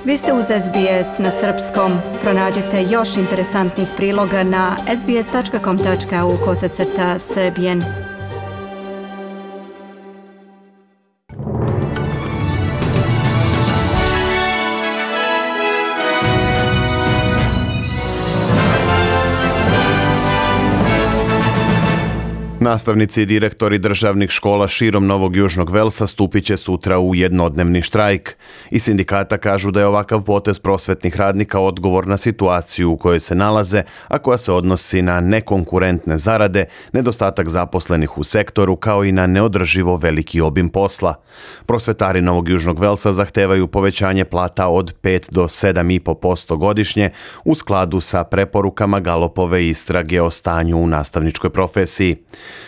Vi ste uz SBS na srpskom. Pronađite još interesantnih priloga na sbs.com.au/srbijen. Nastavnici i direktori državnih škola širom Novog Južnog Velsa stupit će sutra u jednodnevni štrajk. Iz sindikata kažu da je ovakav potez prosvetnih radnika odgovor na situaciju u kojoj se nalaze, a koja se odnosi na nekonkurentne zarade, nedostatak zaposlenih u sektoru, kao i na neodrživo veliki obim posla. Prosvetari Novog Južnog Velsa zahtevaju povećanje plata od 5 do 7,5% godišnje u skladu sa preporukama Galopove istrage o stanju u nastavničkoj profesiji.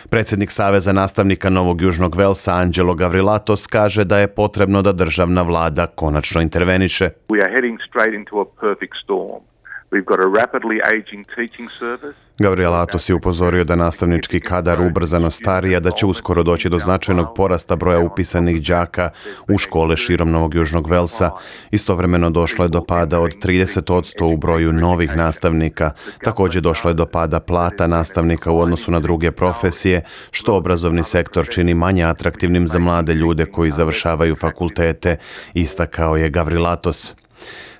Predsjednik Saveza nastavnika Novog Južnog Velsa Angelo Gavrilatos kaže da je potrebno da državna vlada konačno interveniše. We are heading straight into a perfect storm. We've got a rapidly aging teaching service. Gavrilatos je upozorio da nastavnički kadar ubrzano stari, a da će uskoro doći do značajnog porasta broja upisanih đaka u škole širom Novog Južnog Velsa. Istovremeno došlo je do pada od 30% u broju novih nastavnika. Također došlo je do pada plata nastavnika u odnosu na druge profesije, što obrazovni sektor čini manje atraktivnim za mlade ljude koji završavaju fakultete, istakao je Gavrilatos.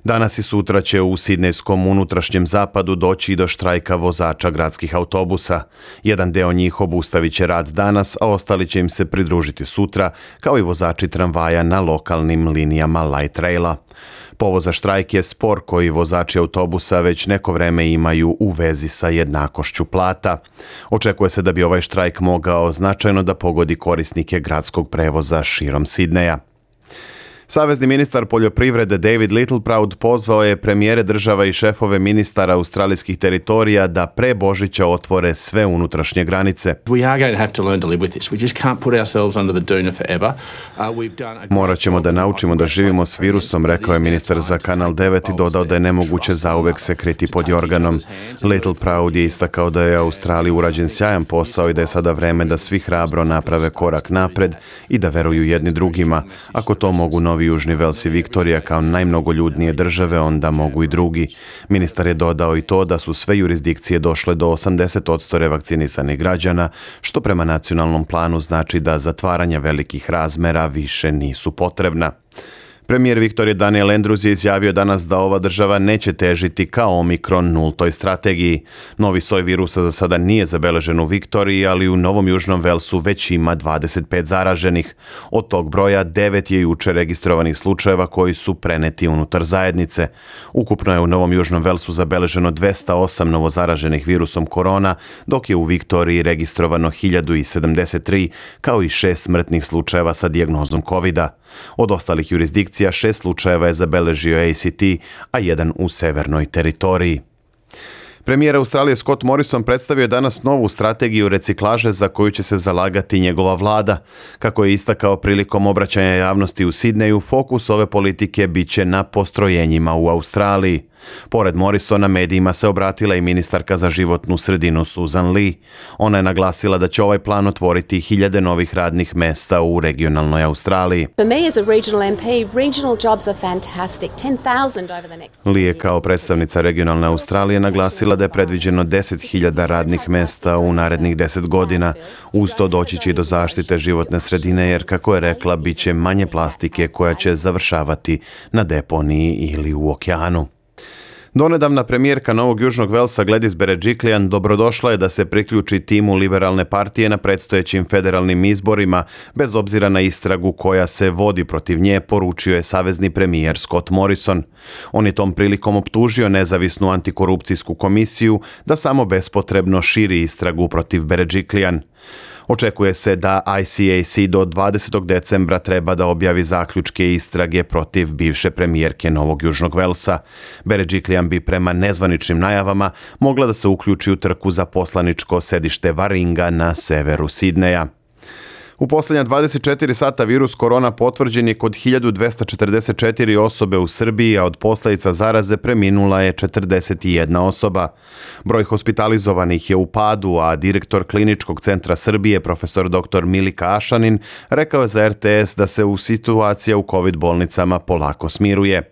Danas i sutra će u sidnejskom unutrašnjem zapadu doći i do štrajka vozača gradskih autobusa. Jedan deo njih obustavit će rad danas, a ostali će im se pridružiti sutra, kao i vozači tramvaja na lokalnim linijama light raila. Povod za štrajk je spor koji vozači autobusa već neko vreme imaju u vezi sa jednakošću plata. Očekuje se da bi ovaj štrajk mogao značajno da pogodi korisnike gradskog prevoza širom Sidneja. Savezni ministar poljoprivrede David Littleproud pozvao je premijere država i šefove ministara australijskih teritorija da pre Božića otvore sve unutrašnje granice. Morat ćemo da naučimo da živimo s virusom, rekao je ministar za Kanal 9 i dodao da je nemoguće zauvek se kriti pod jorganom. Littleproud je istakao da je Australiji urađen sjajan posao i da je sada vreme da svi hrabro naprave korak napred i da veruju jedni drugima. Ako to mogu Novi Južni Vels i Viktorija kao najmnogoljudnije države, onda mogu i drugi. Ministar je dodao i to da su sve jurisdikcije došle do 80% revakcinisanih građana, što prema nacionalnom planu znači da zatvaranja velikih razmera više nisu potrebna. Premijer Viktorije Daniel Andrews je izjavio danas da ova država neće težiti kao Omikron nultoj strategiji. Novi soj virusa za sada nije zabeležen u Viktoriji, ali u Novom Južnom Velsu već ima 25 zaraženih. Od tog broja 9 je juče registrovanih slučajeva koji su preneti unutar zajednice. Ukupno je u Novom Južnom Velsu zabeleženo 208 novozaraženih virusom korona, dok je u Viktoriji registrovano 1073, kao i 6 smrtnih slučajeva sa dijagnozom COVID-a. Od ostalih jurisdikcija 6 slučajeva je zabeležio ACT, a 1 u severnoj teritoriji. Premijer Australije Scott Morrison predstavio je danas novu strategiju reciklaže za koju će se zalagati njegova vlada. Kako je istakao prilikom obraćanja javnosti u Sidneju, fokus ove politike biće na postrojenjima u Australiji. Pored Morrisona medijima se obratila i ministarka za životnu sredinu Susan Lee. Ona je naglasila da će ovaj plan otvoriti 1000 novih radnih mesta u regionalnoj Australiji. Lee je kao predstavnica regionalne Australije naglasila da je predviđeno 10.000 radnih mesta u narednih 10 godina. Uz to doći će i do zaštite životne sredine jer, kako je rekla, bit će manje plastike koja će završavati na deponiji ili u okeanu. Donedavna premijerka Novog Južnog Velsa Gladys Berejiklian dobrodošla je da se priključi timu liberalne partije na predstojećim federalnim izborima, bez obzira na istragu koja se vodi protiv nje, poručio je savezni premijer Scott Morrison. On je tom prilikom optužio nezavisnu antikorupcijsku komisiju da samo bespotrebno širi istragu protiv Berejiklian. Očekuje se da ICAC do 20. decembra treba da objavi zaključke istrage protiv bivše premijerke Novog Južnog Velsa. Berejiklian bi prema nezvaničnim najavama mogla da se uključi u trku za poslaničko sedište Warringa na severu Sidneja. U posljednja 24 sata virus korona potvrđen je kod 1244 osobe u Srbiji, a od posljedica zaraze preminula je 41 osoba. Broj hospitalizovanih je u padu, a direktor Kliničkog centra Srbije, profesor dr. Milika Ašanin, rekao je za RTS da se situacija u COVID bolnicama polako smiruje.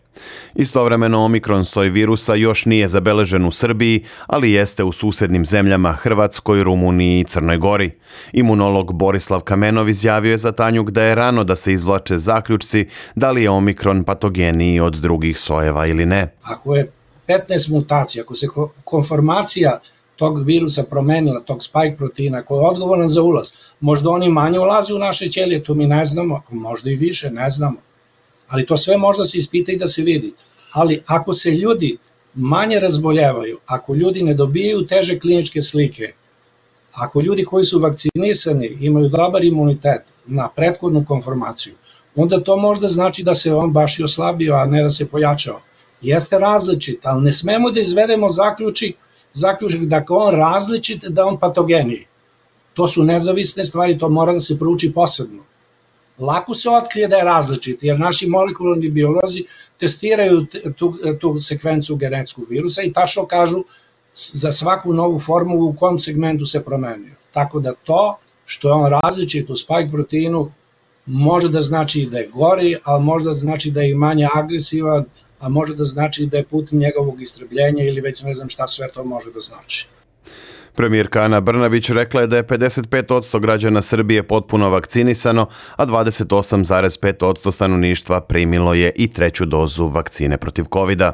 Istovremeno omikron soj virusa još nije zabeležen u Srbiji, ali jeste u susednim zemljama Hrvatskoj, Rumuniji i Crnoj Gori. Imunolog Borislav Kamenov izjavio je za Tanjug da je rano da se izvlače zaključci da li je omikron patogeniji od drugih sojeva ili ne. Ako je 15 mutacija, ako se konformacija tog virusa promenila, tog spike proteina koji je odgovoran za ulaz, možda oni manje ulazi u naše ćelije, to mi ne znamo, možda i više, ne znamo. Ali to sve možda se ispita i da se vidi. Ali ako se ljudi manje razboljevaju, ako ljudi ne dobijaju teže kliničke slike, ako ljudi koji su vakcinisani imaju dobar imunitet na prethodnu konformaciju, onda to možda znači da se on baš i oslabio, a ne da se pojačao. Jeste različit, ali ne smemo da izvedemo zaključak da je on različit, da on patogeniji. To su nezavisne stvari, to mora da se prouči posebno. Lako se otkrije da je različit, jer naši molekularni biolozi testiraju tu sekvencu genetskog virusa i tačno kažu za svaku novu formu u kom segmentu se promenio. Tako da to što je on različit u spike proteinu može da znači da je gori, ali može da znači da je i manje agresivan, a može da znači da je put njegovog istrebljenja ili već ne znam šta sve to može da znači. Premijerka Ana Brnabić rekla je da je 55% građana Srbije potpuno vakcinisano, a 28,5% stanovništva primilo je i 3. dozu vakcine protiv COVID-a.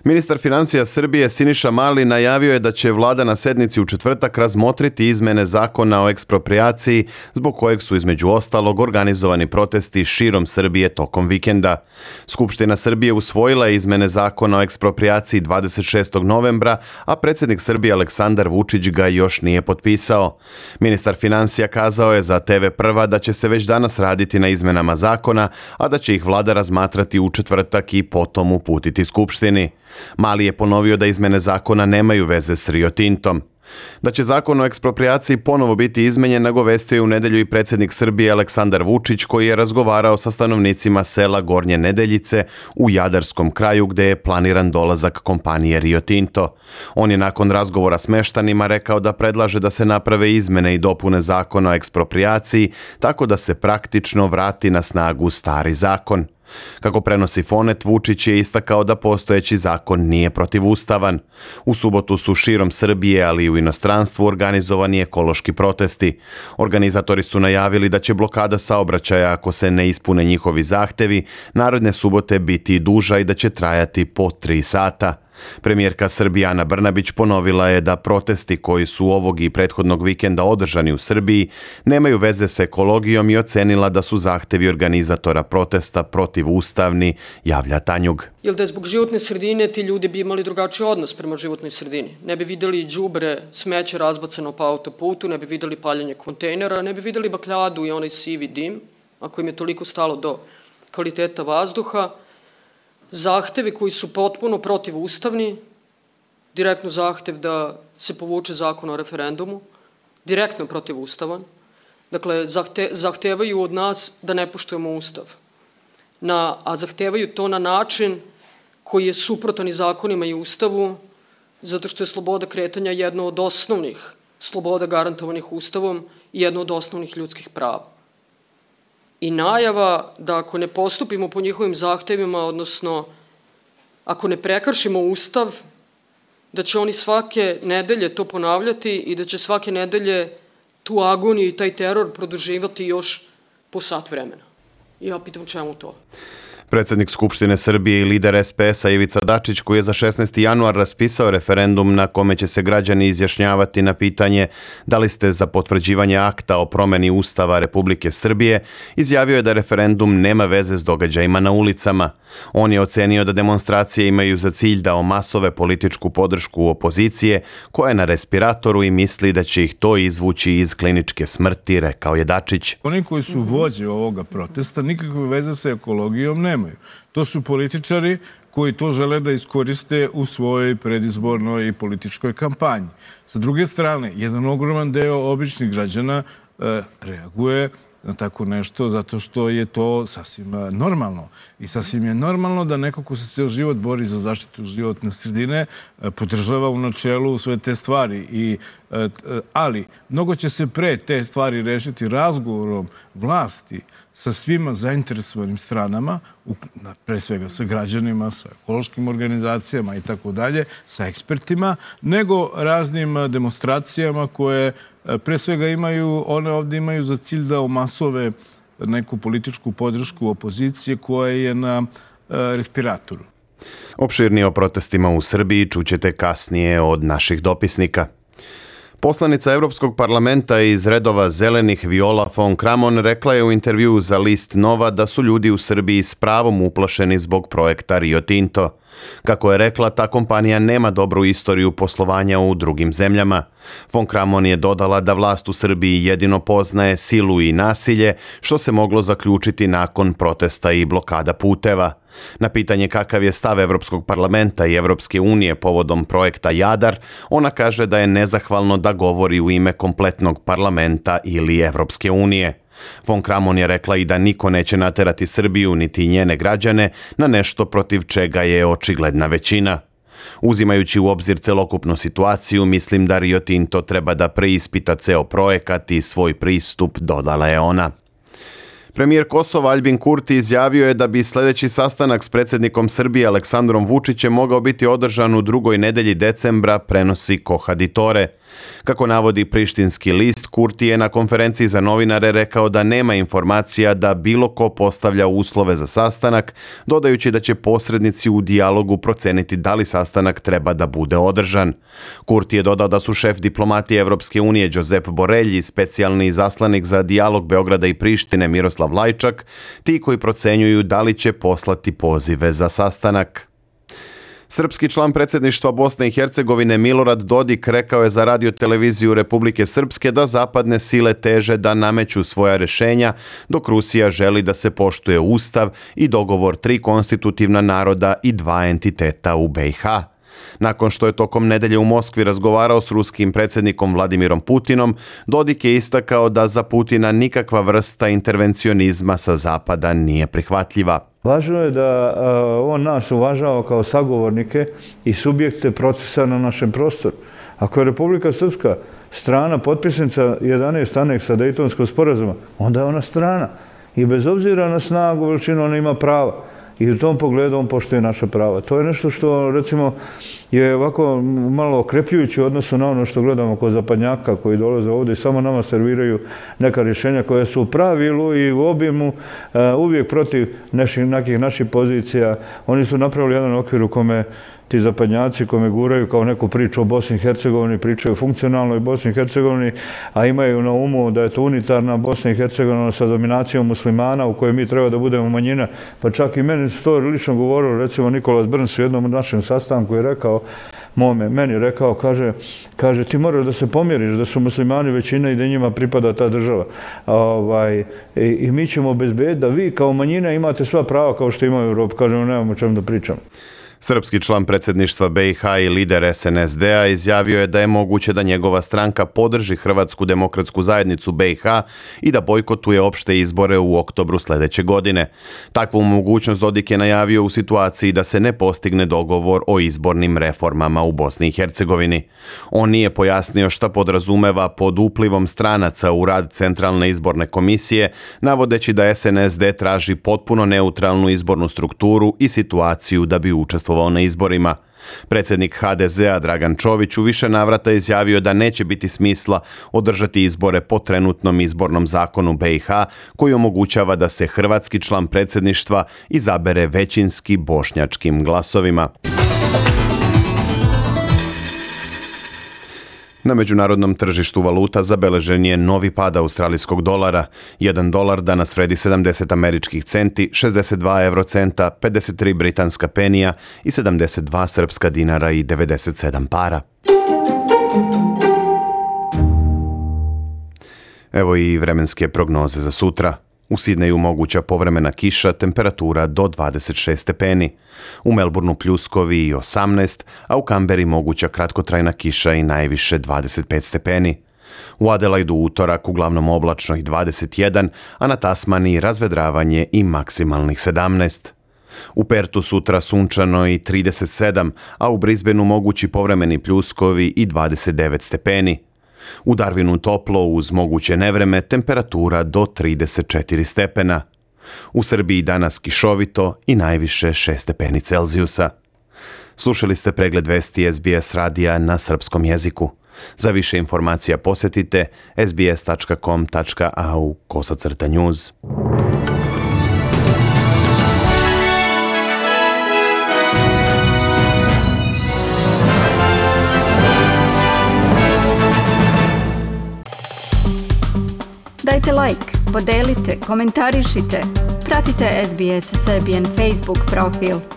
Ministar financija Srbije Siniša Mali najavio je da će vlada na sednici u četvrtak razmotriti izmene zakona o eksproprijaciji, zbog kojeg su između ostalog organizovani protesti širom Srbije tokom vikenda. Skupština Srbije usvojila je izmene zakona o eksproprijaciji 26. novembra, a predsjednik Srbije Aleksandar Vučić ga još nije potpisao. Ministar financija kazao je za TV Prva da će se već danas raditi na izmenama zakona, a da će ih vlada razmatrati u četvrtak i potom uputiti Skupštini. Mali je ponovio da izmene zakona nemaju veze s Rio Tintom. Da će zakon o eksproprijaciji ponovo biti izmenjen, nagovestio je u nedelju i predsjednik Srbije Aleksandar Vučić, koji je razgovarao sa stanovnicima sela Gornje Nedeljice u Jadarskom kraju gde je planiran dolazak kompanije Rio Tinto. On je nakon razgovora s meštanima rekao da predlaže da se naprave izmene i dopune zakona o eksproprijaciji tako da se praktično vrati na snagu stari zakon. Kako prenosi Fonet, Vučić je istakao da postojeći zakon nije protivustavan. U subotu su širom Srbije, ali i u inostranstvu organizovani ekološki protesti. Organizatori su najavili da će blokada saobraćaja, ako se ne ispune njihovi zahtevi, naredne subote biti duža i da će trajati po 3 sata. Premijerka Srbije Ana Brnabić ponovila je da protesti koji su ovog i prethodnog vikenda održani u Srbiji nemaju veze s ekologijom i ocenila da su zahtevi organizatora protesta protivustavni, javlja Tanjug. Jer da je zbog životne sredine ti ljudi bi imali drugačiji odnos prema životnoj sredini. Ne bi videli đubre, smeće razbacano po autoputu, ne bi videli paljenje kontejnera, ne bi videli bakljadu i onaj sivi dim, ako im je toliko stalo do kvaliteta vazduha. Zahtevi koji su potpuno protivustavni, direktno zahtev da se povuče zakon o referendumu, direktno protivustavan. Dakle, zahtevaju od nas da ne poštujemo ustav. A zahtevaju to na način koji je suprotan i zakonima i ustavu, zato što je sloboda kretanja jedna od osnovnih sloboda garantovanih ustavom i jedna od osnovnih ljudskih prava. I najava da ako ne postupimo po njihovim zahtevima, odnosno ako ne prekršimo ustav, da će oni svake nedelje to ponavljati i da će svake nedelje tu agoniju i taj teror produživati još po sat vremena. I ja pitam čemu to? Predsjednik Skupštine Srbije i lider SPS-a Ivica Dačić, koji je za 16. januar raspisao referendum na kome će se građani izjašnjavati na pitanje da li ste za potvrđivanje akta o promeni Ustava Republike Srbije, izjavio je da referendum nema veze s događajima na ulicama. On je ocenio da demonstracije imaju za cilj da omasove političku podršku opozicije, koja je na respiratoru i misli da će ih to izvući iz kliničke smrti, rekao je Dačić. Oni koji su vođe ovoga protesta nikakve veze sa ekologijom nemaju. To su političari koji to žele da iskoriste u svojoj predizbornoj i političkoj kampanji. Sa druge strane, jedan ogroman deo običnih građana reaguje na tako nešto zato što je to sasvim normalno. I sasvim je normalno da neko ko se ceo život bori za zaštitu životne sredine podržava u načelu sve te stvari. I ali mnogo će se pre te stvari rešiti razgovorom vlasti sa svima zainteresovanim stranama, pre svega sa građanima, sa ekološkim organizacijama i tako dalje, sa ekspertima, nego raznim demonstracijama koje pre svega one ovdje imaju za cilj da omasove neku političku podršku opozicije koja je na respiratoru. Opširnije o protestima u Srbiji čućete kasnije od naših dopisnika. Poslanica Evropskog parlamenta iz redova zelenih Viola von Kramon rekla je u intervjuu za list Nova da su ljudi u Srbiji s pravom uplašeni zbog projekta Rio Tinto. Kako je rekla, ta kompanija nema dobru istoriju poslovanja u drugim zemljama. Von Kramon je dodala da vlast u Srbiji jedino poznaje silu i nasilje, što se moglo zaključiti nakon protesta i blokada puteva. Na pitanje kakav je stav Evropskog parlamenta i Evropske unije povodom projekta Jadar, ona kaže da je nezahvalno da govori u ime kompletnog parlamenta ili Evropske unije. Von Kramon je rekla i da niko neće naterati Srbiju niti njene građane na nešto protiv čega je očigledna većina. Uzimajući u obzir celokupnu situaciju, mislim da Rio Tinto treba da preispita ceo projekat i svoj pristup, dodala je ona. Premijer Kosova Aljbin Kurti izjavio je da bi sljedeći sastanak s predsjednikom Srbije Aleksandrom Vučićem mogao biti održan u drugoj nedelji decembra, prenosi Kohaditore. Kako navodi prištinski list, Kurti je na konferenciji za novinare rekao da nema informacija da bilo ko postavlja uslove za sastanak, dodajući da će posrednici u dijalogu proceniti da li sastanak treba da bude održan. Kurti je dodao da su šef diplomatije Evropske unije Josep Borrell i specijalni izaslanik za dijalog Beograda i Prištine Miroslav Lajčak ti koji procenjuju da li će poslati pozive za sastanak. Srpski član predsjedništva Bosne i Hercegovine Milorad Dodik rekao je za Radio-televiziju Republike Srpske da zapadne sile teže da nameću svoja rješenja, dok Rusija želi da se poštuje ustav i dogovor 3 konstitutivna naroda i 2 entiteta u BiH. Nakon što je tokom nedelje u Moskvi razgovarao s ruskim predsjednikom Vladimirom Putinom, Dodik je istakao da za Putina nikakva vrsta intervencionizma sa zapada nije prihvatljiva. Važno je da on nas uvažava kao sagovornike i subjekte procesa na našem prostoru. Ako je Republika Srpska strana potpisnica 11 aneksa Dejtonskog sporazuma, onda je ona strana. I bez obzira na snagu, veličinu, ona ima prava. I u tom pogledu on poštuje naša prava. To je nešto što, recimo, je ovako malo okrepljujuće u odnosu na ono što gledamo kod zapadnjaka koji dolaze ovdje i samo nama serviraju neka rješenja koja su u pravilu i u obimu uvijek protiv nekih naših pozicija. Oni su napravili jedan okvir u kome ti zapadnjaci kome guraju kao neku priču o Bosni i Hercegovini, pričaju o funkcionalnoj Bosni i Hercegovini, a imaju na umu da je to unitarna Bosna i Hercegovina sa dominacijom muslimana u kojoj mi treba da budemo manjina. Pa čak i meni su to lično govorilo, recimo Nikolas Brns u jednom našem sastanku je rekao, meni rekao, kaže ti moraš da se pomjeriš, da su muslimani većina i da njima pripada ta država. I mi ćemo obezbediti da vi kao manjina imate sva prava kao što imaju u Europi. Kažemo, nemamo o čemu da pričamo. Srpski član predsjedništva BiH i lider SNSD-a izjavio je da je moguće da njegova stranka podrži Hrvatsku demokratsku zajednicu BiH i da bojkotuje opšte izbore u oktobru sljedeće godine. Takvu mogućnost Dodik je najavio u situaciji da se ne postigne dogovor o izbornim reformama u Bosni i Hercegovini. On nije pojasnio šta podrazumeva pod uplivom stranaca u rad Centralne izborne komisije, navodeći da SNSD traži potpuno neutralnu izbornu strukturu i situaciju da bi učestvovao na izborima. Predsjednik HDZ-a Dragan Čović u više navrata izjavio da neće biti smisla održati izbore po trenutnom izbornom zakonu BiH koji omogućava da se hrvatski član predsjedništva izabere većinski bošnjačkim glasovima. Na međunarodnom tržištu valuta zabeležen je novi pad australijskog dolara. 1 dolar danas vredi 70 američkih centi, 62 eurocenta, 53 britanska penija i 72 srpska dinara i 97 para. Evo i vremenske prognoze za sutra. U Sidneju moguća povremena kiša, temperatura do 26 stepeni. U Melbourneu pljuskovi i 18, a u Kamberi moguća kratkotrajna kiša i najviše 25 stepeni. U Adelaidu utorak uglavnom oblačno i 21, a na Tasmaniji razvedravanje i maksimalnih 17. U Pertu sutra sunčano i 37, a u Brisbaneu mogući povremeni pljuskovi i 29 stepeni. U Darwinu toplo uz moguće nevreme, temperatura do 34 stepena. U Srbiji danas kišovito i najviše 6 stepeni Celzijusa. Slušali ste pregled vesti SBS radija na srpskom jeziku. Za više informacija posjetite sbs.com.au/news. Dajte like, podelite, komentarišite. Pratite SBS Serbian Facebook profil.